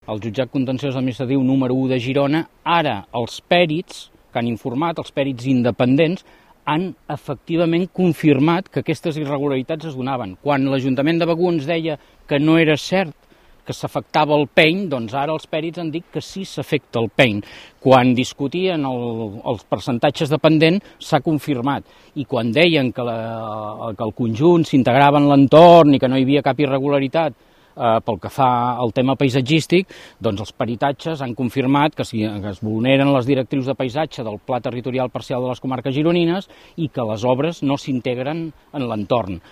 el jutjat contenciós administratiu número 1 de Girona, ara els pèrits que han informat, els pèrits independents, han efectivament confirmat que aquestes irregularitats es donaven. Quan l'Ajuntament de Begur ens deia que no era cert que s'afectava el peny, doncs ara els pèrits han dit que sí s'afecta el peny. Quan discutien els percentatges de pendent s'ha confirmat, i quan deien que el conjunt s'integrava en l'entorn i que no hi havia cap irregularitat pel que fa al tema paisatgístic, doncs els peritatges han confirmat que es vulneren les directrius de paisatge del Pla Territorial Parcial de les Comarques Gironines i que les obres no s'integren en l'entorn.